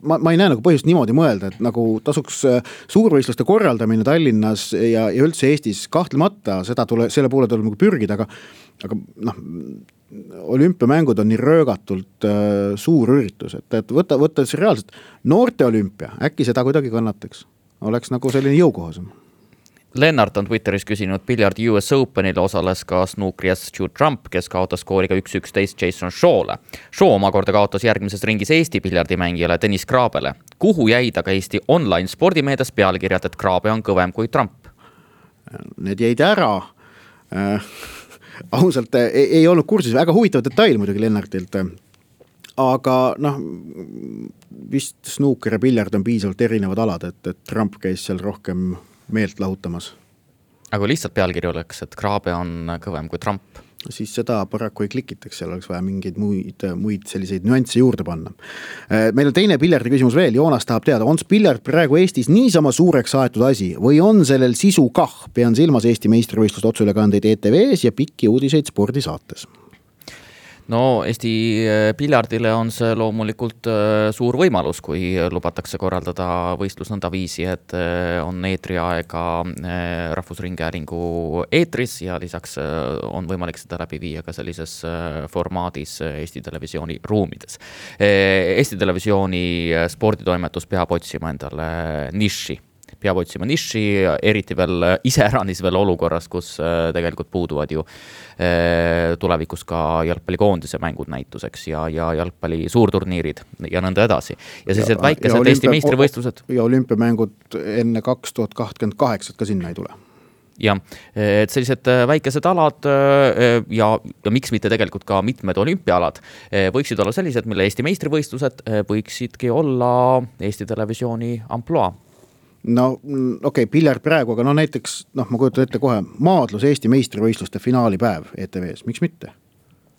ma ei näe nagu põhjust niimoodi mõelda, et nagu tasuks suurvõistluste korraldamine Tallinnas ja üldse Eestis kahtlemata, selle poole tuleb nagu pürgida, aga olümpiamängud on nii röögatult suur üritus, et võtta see reaalselt noorte olümpia, äkki seda kuidagi kannataks. Oleks nagu selline jõukohasem. Lennart on Twitteris küsinud, Biljard US Openil osales ka snuukrias Stu Trump, kes kaotas skooriga 1-11 Jason Shaw'le. Shaw omakorda kaotas järgmises ringis Eesti piljardimängijale Dennis Kraabele. Kuhu jäid aga Eesti online spordimeedias pealkirjad, et Kraabe on kõvem kui Trump? Need jäid ära. Ausalt ei olnud kursis, väga huvitav detail muidugi Lennartilt. Aga vist snooker ja piljard on piisavalt erinevad alad, et Trump käis seal rohkem meelt lahutamas. Aga lihtsalt pealkiri oleks, et Kraabe on kõvem kui Trump. Siis seda paraku ei klikitaks, seal oleks vaja mingeid muid selliseid nüansse juurde panna. Meil on teine piljardi küsimus veel, Joonas tahab teada, on piljard praegu Eestis niisama suureks aetud asi või on sellel sisu kah? Pean silmas Eesti meistrivõistlust otseülekandeid ETV-s ja pikki uudiseid spordisaates. No Eesti piljardile on see loomulikult suur võimalus, kui lubatakse korraldada võistlus nõnda viisi, et on eetriaega Rahvusringhäälingu eetris ja lisaks on võimalik seda läbi viia ka sellises formaadis Eesti Televisiooni ruumides. Eesti Televisiooni sporditoimetus peab otsima endale niši, eriti veel iseäranis veel olukorras, kus tegelikult puuduvad ju tulevikus ka jalgpallikoondise mängud näituseks ja jalgpalli suurturniirid ja nõnda edasi. Ja sellised väikesed Eesti meistrivõistlused. Ja olümpiamängud enne 2028 ka sinna ei tule. Ja, et sellised väikesed alad ja miks mitte tegelikult ka mitmed olümpiaalad võiksid olla sellised, mille Eesti meistrivõistlused võiksidki olla Eesti Televisiooni amploa. Piljard praegu, aga näiteks, ma kujutan ette kohe, maadlus Eesti meistrivõistluste finaalipäev ETV-s, miks mitte?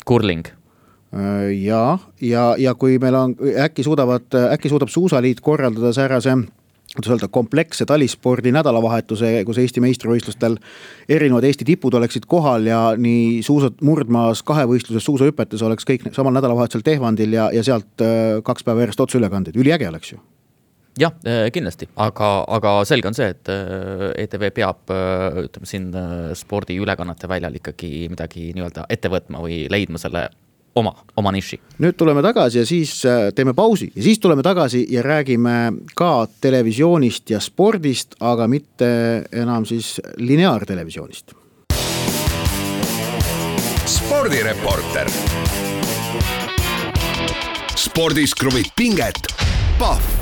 Kurling. Ja kui meil on, äkki suudab Suusaliit korraldada säärase kompleksse talispordi nädalavahetuse, kus Eesti meistrivõistlustel erinevad Eesti tipud oleksid kohal ja nii suusad murdmaas kahevõistluses suusahüpetes oleks kõik samal nädalavahetusel Tehvandil ja sealt 2 päeva järjest otseülekandeid. Üliäge oleks ju. Jah, kindlasti, aga selge on see, et ETV peab siin spordi ülekannete väljal ikkagi midagi nii-öelda ette võtma või leidma selle oma niši. Nüüd tuleme tagasi ja siis teeme pausi ja siis tuleme tagasi ja räägime ka televisioonist ja spordist, aga mitte enam siis lineaartelevisioonist. Spordireporter. Spordis kruvib pinget. Pahv.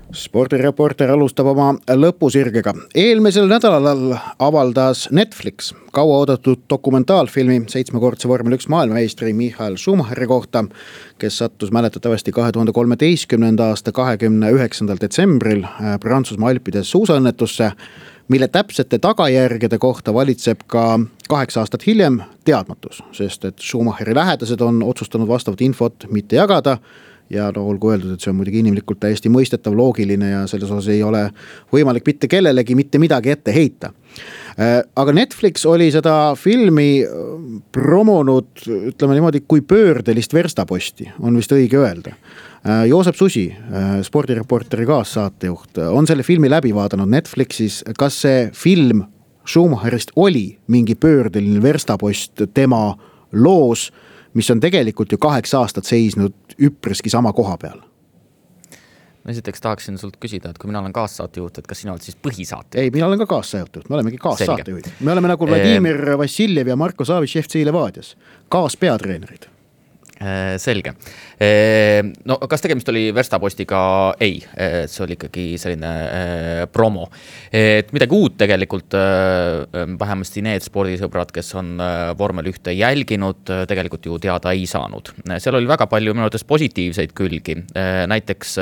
Spordireporter alustab oma lõpusirgega. Eelmisel nädalal avaldas Netflix kauaoodatud dokumentaalfilmi 7-kordse vormel 1 maailmameistri Michael Schumacheri kohta, kes sattus mäletatavasti 2013. aasta 29. detsembril Prantsusmaa Alpides suusaõnnetusse, mille täpsete tagajärgede kohta valitseb ka 8 aastat hiljem teadmatus, sest et Schumacheri lähedased on otsustanud vastavat infot mitte jagada. Ja olgu öeldud, et see on muidugi inimlikult täiesti mõistetav, loogiline ja selles osas ei ole võimalik mitte kellelegi mitte midagi ette heita. Aga Netflix oli seda filmi promonud, ütleme niimoodi, kui pöördelist verstaposti, on vist õige öelda. Joosep Susi, spordireporteri kaassaatejuht, on selle filmi läbi vaadanud Netflixis. Kas see film Schumacherist oli mingi pöördeline verstapost tema loos, mis on tegelikult ju 8 aastat seisnud üpriski sama koha peal? Esiteks tahaksin sult küsida, et kui mina olen kaassaatejuht, et kas sina oled siis põhisaatejuht? Ei, mina olen ka kaassaatejuht, me olemegi kaassaatejuht. Me oleme nagu Vladimir Vassiljev ja Marko Savitš FC Levadias, kaaspeatreenerid. Selge. No kas tegemist oli Verstapostiga? Ei, see oli ikkagi selline promo. Et midagi uut tegelikult, vähemasti need spordisõbrad, kes on vormel 1 jälginud, tegelikult ju teada ei saanud. Seal oli väga palju minu arvates positiivseid külgi. Näiteks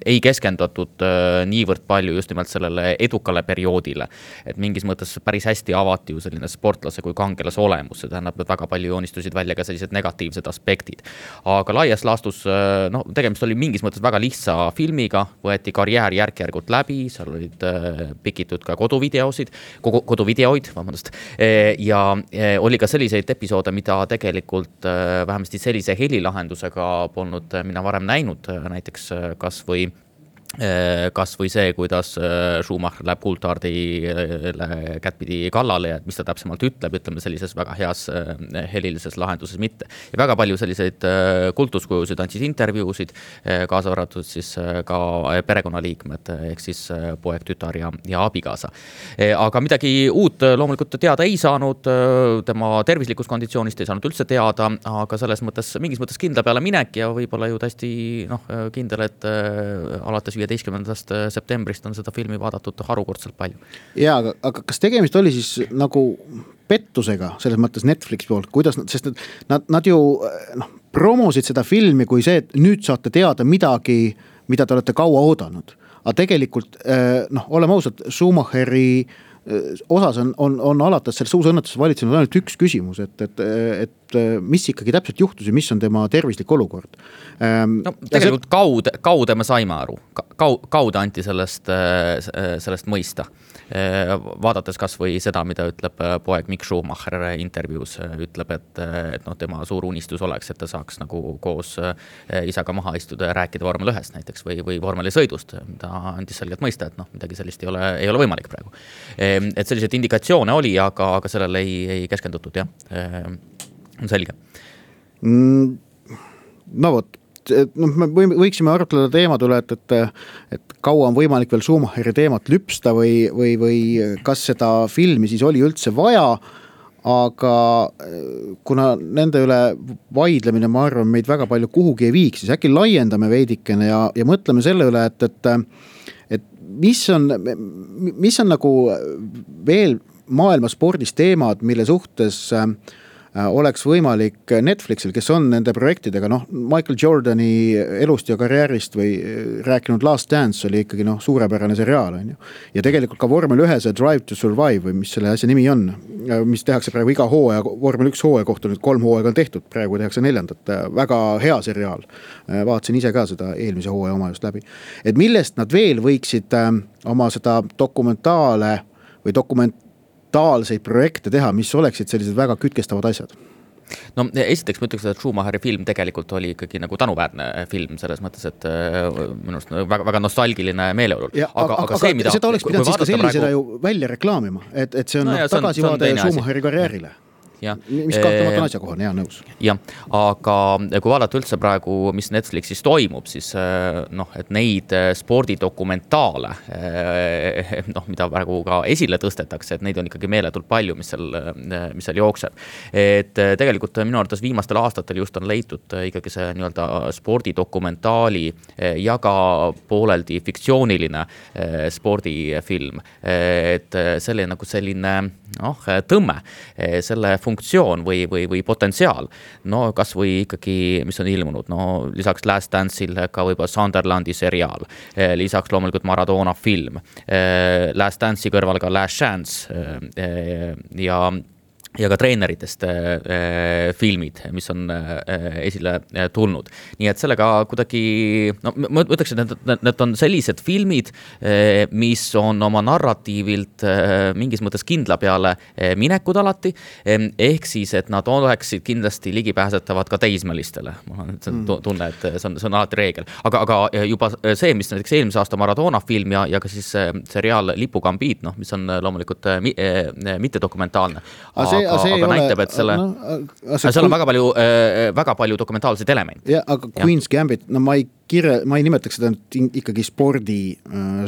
ei keskendatud niivõrd palju just nimelt sellele edukale perioodile. Et mingis mõttes päris hästi avati ju selline sportlase kui kangelase olemus. See tähendab, et väga palju joonistusid välja ka sellised negatiivsed aspektid. Aga laias laastus, tegemist oli mingis mõttes väga lihtsa filmiga, võeti karjäär järk-järgult läbi, seal olid pikitud ka koduvideoid, vabandust, ja oli ka selliseid episoode, mida tegelikult vähemasti sellise helilahendusega polnud mina varem näinud, näiteks kas või see, kuidas Schumacher läheb Coulthardile kättpidi kallale ja mis ta täpsemalt ütleme sellises väga heas helilises lahenduses mitte. Ja väga palju selliseid kultuskujusid andsid intervjuusid, kaasa arvatud siis ka perekonnaliikmed, ehk siis poeg, tütar ja abikaasa. Aga midagi uut loomulikult teada ei saanud, tema tervislikust konditsioonist ei saanud üldse teada, aga selles mõttes, mingis mõttes kindla peale minek ja võib-olla ju täiesti kindel, et alates 15. septembrist on seda filmi vaadatud harukordselt palju. Jaa, aga kas tegemist oli siis nagu pettusega selles mõttes Netflix poolt, kuidas sest nad ju promosid seda filmi kui see, et nüüd saate teada midagi, mida te olete kaua oodanud. Aga tegelikult, oleme ausad, Schumacheri osas on alates selles suusõnnetuses valitsenud ainult üks küsimus, et mis ikkagi täpselt juhtus ja mis on tema tervislik olukord. Tegelikult kaude me saime aru, kaude anti sellest mõista. Vaadates kas või seda, mida ütleb poeg Mick Schumacher intervjuus, ütleb, et tema suur unistus oleks, et ta saaks nagu koos isaga maha istuda ja rääkida vormel 1 näiteks või vormelisõidust. Ta andis selgelt mõista, et midagi sellist ei ole võimalik praegu. Et selliseid indikatsioone oli, aga sellele ei keskendutud, jah. On selge. No vot, me võiksime arutleda teemad üle, et kaua on võimalik veel Schumacheri teemat lüpsta või kas seda filmi siis oli üldse vaja, aga kuna nende üle vaidlemine, ma arvan, meid väga palju kuhugi ei viiks, siis äkki laiendame veidikene ja mõtleme selle üle, et mis on nagu veel maailma spordis teemad, mille suhtes oleks võimalik Netflixil, kes on nende projektidega, Michael Jordani elust ja karjäärist või rääkinud Last Dance oli ikkagi suurepärane seriaal, on ju. Ja tegelikult ka vormel 1 Drive to Survive või mis selle asja nimi on, mis tehakse praegu iga hooaja, vormel 1 hooaja kohta nüüd 3 hooaega on tehtud, praegu tehakse 4. Väga hea seriaal. Vaatasin ise ka seda eelmise hooaja oma just läbi. Et millest nad veel võiksid oma seda dokumentaale või dokumentaalseid projekte teha, mis oleksid sellised väga kütkestavad asjad? No esiteks ma ütleks, et Schumacheri film tegelikult oli ikkagi nagu tänuväärne film selles mõttes, et minust väga nostalgiline meeleolul. Aga see, mida seda oleks pidanud siis ka sellisena ju välja reklaamima, et see on tagasivaade Schumacheri karjäärile. Mis kahtlemata on asjakohane, nõus. Jah, aga kui vaadata üldse praegu, mis Netflixis toimub, siis et neid spordidokumentaale, mida praegu ka esile tõstetakse, et neid on ikkagi meeletult palju, mis seal jookseb. Et tegelikult minu arvates viimastel aastatel just on leitud ikkagi see nii-öelda spordidokumentaali ja ka pooleldi fiktsiooniline spordifilm. Et selline tõmme, selle funktsioon või potentsiaal, kas või ikkagi, mis on ilmunud, lisaks Last Dance'il ka võib-olla Sunderlandi seriaal, lisaks loomulikult Maradona film, Last Dance'i kõrval ka Last Chance ja ka treeneritest filmid, mis on esile tulnud. Nii et sellega kuidagi, ma ütleks, et need on sellised filmid, mis on oma narratiivilt mingis mõttes kindla peale minekud alati, ehk siis, et nad oleksid kindlasti ligipääsetavad ka teismelistele. Mul on tunne, et see on alati reegel. Aga juba see, mis näiteks eelmise aasta Maradona film ja ka siis seriaal Lipukambiit, mis on loomulikult mitte dokumentaalne. Aga näitab, et seal on väga palju dokumentaalseid elemente. Ja, aga Queen's Gambit, ma ei ma ei nimetaks seda ikkagi spordi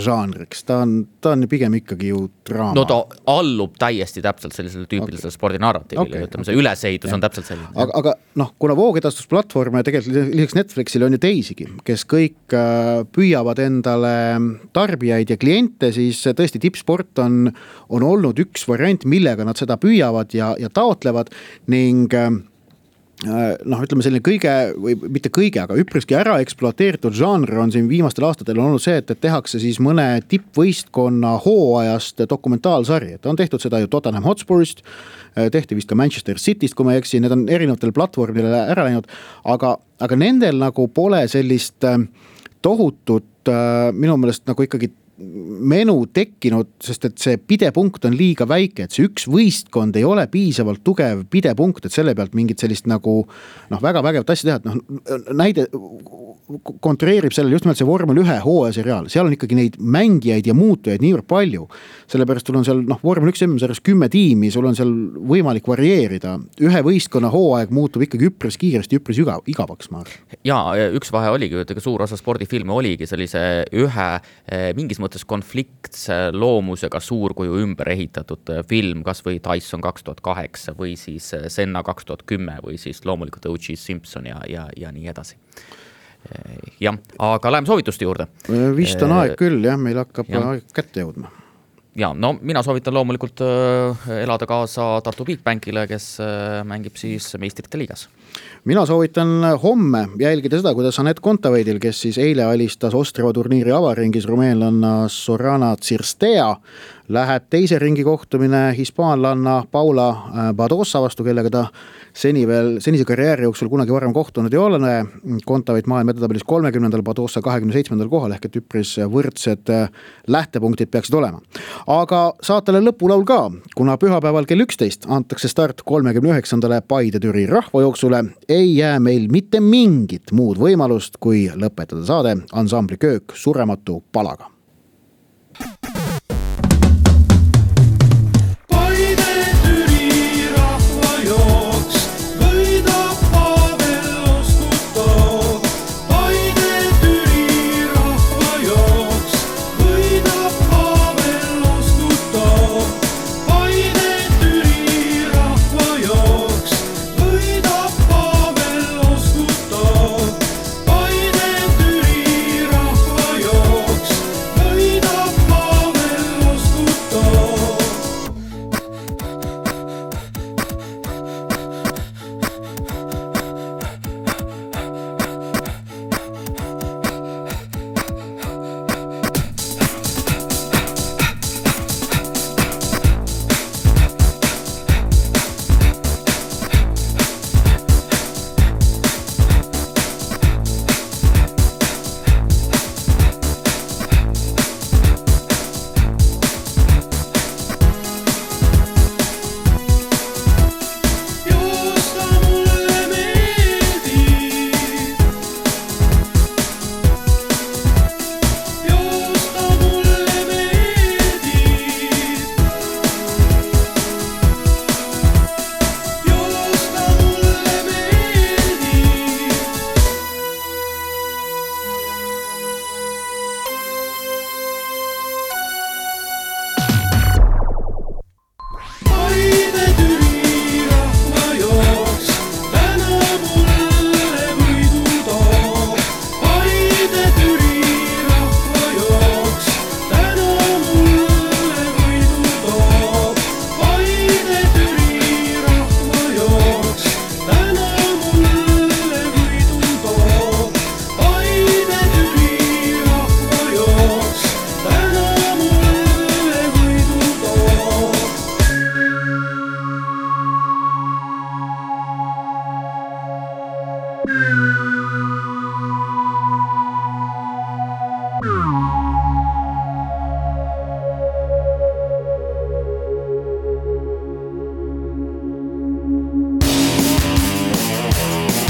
žanriks, ta on pigem ikkagi ju draama. No ta allub täiesti täpselt sellisele tüüpilisele spordinarratiivile, ütleme, see ülesehitus on täpselt selline. Aga kuna voogedastusplatvorme tegelikult lisaks Netflixile on ju teisigi, kes kõik püüavad endale tarbijaid ja kliente, siis tõesti tippsport on olnud üks variant, millega nad seda püüavad ja taotlevad ning ütleme selline kõige, või mitte kõige, aga üpriski ära ekspluateeritud žanr on siin viimastel aastatel olnud see, et tehakse siis mõne tippvõistkonna hooajast dokumentaalsari, et on tehtud seda ju Tottenham Hotspurist, tehti vist ka Manchester Cityst, kui ma ei eksi, need on erinevatel platvormidele ära läinud, aga nendel nagu pole sellist tohutut minu meelest nagu ikkagi menu tekkinud, sest et see pidepunkt on liiga väike, et see üks võistkond ei ole piisavalt tugev pidepunkt, et selle pealt mingit sellist nagu väga vägevat asja teha, et näide kontreerib sellele just nimelt see vormel 1 hooajaseriaal, seal on ikkagi neid mängijaid ja muutujaid niivõrd palju, sellepärast sul on seal vormel 1 MM-sarjas 10 tiimi, sul on seal võimalik varieerida, ühe võistkonna hooaeg muutub ikkagi üpris kiiresti, üpris igavaks, ma arvan. Ja üks vahe oligi, et suur osa spordifilme oligi sellise ühe mingis mõttes konfliktse loomusega suurkuju ümber ehitatud film, kas või Tyson 2008 või siis Senna 2010 või siis loomulikult O.J. Simpson ja nii edasi. Jah, aga läheme soovituste juurde. Vist on aeg küll, jah, meil hakkab aeg kätte jõudma. Ja, no mina soovitan loomulikult elada kaasa Tartu Bigbankile, kes mängib siis meistrite liigas. Mina soovitan homme jälgida seda, kuidas Anett Kontaveidil, kes siis eile alistas Ostrava turniiri avaringis rumeenlanna Sorana Tsirstea, läheb teise ringi kohtumine hispaanlanna Paula Badosa vastu, kellega ta senise karjääri jooksul kunagi varem kohtunud ei ole. Kontaveit maailma edetabelis 30. Badosa 27. kohal ehk et üpris võrdsed lähtepunktid peaksid olema. Aga saatele lõpulaul ka, kuna pühapäeval kell 11 antakse start 39. Paide-Türi rahvajooksule, ei jää meil mitte mingit muud võimalust, kui lõpetada saade ansambli Köök surematu palaga.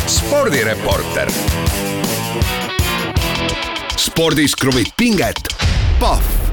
Spordireporter. Spordis kruvib pinget Pahv.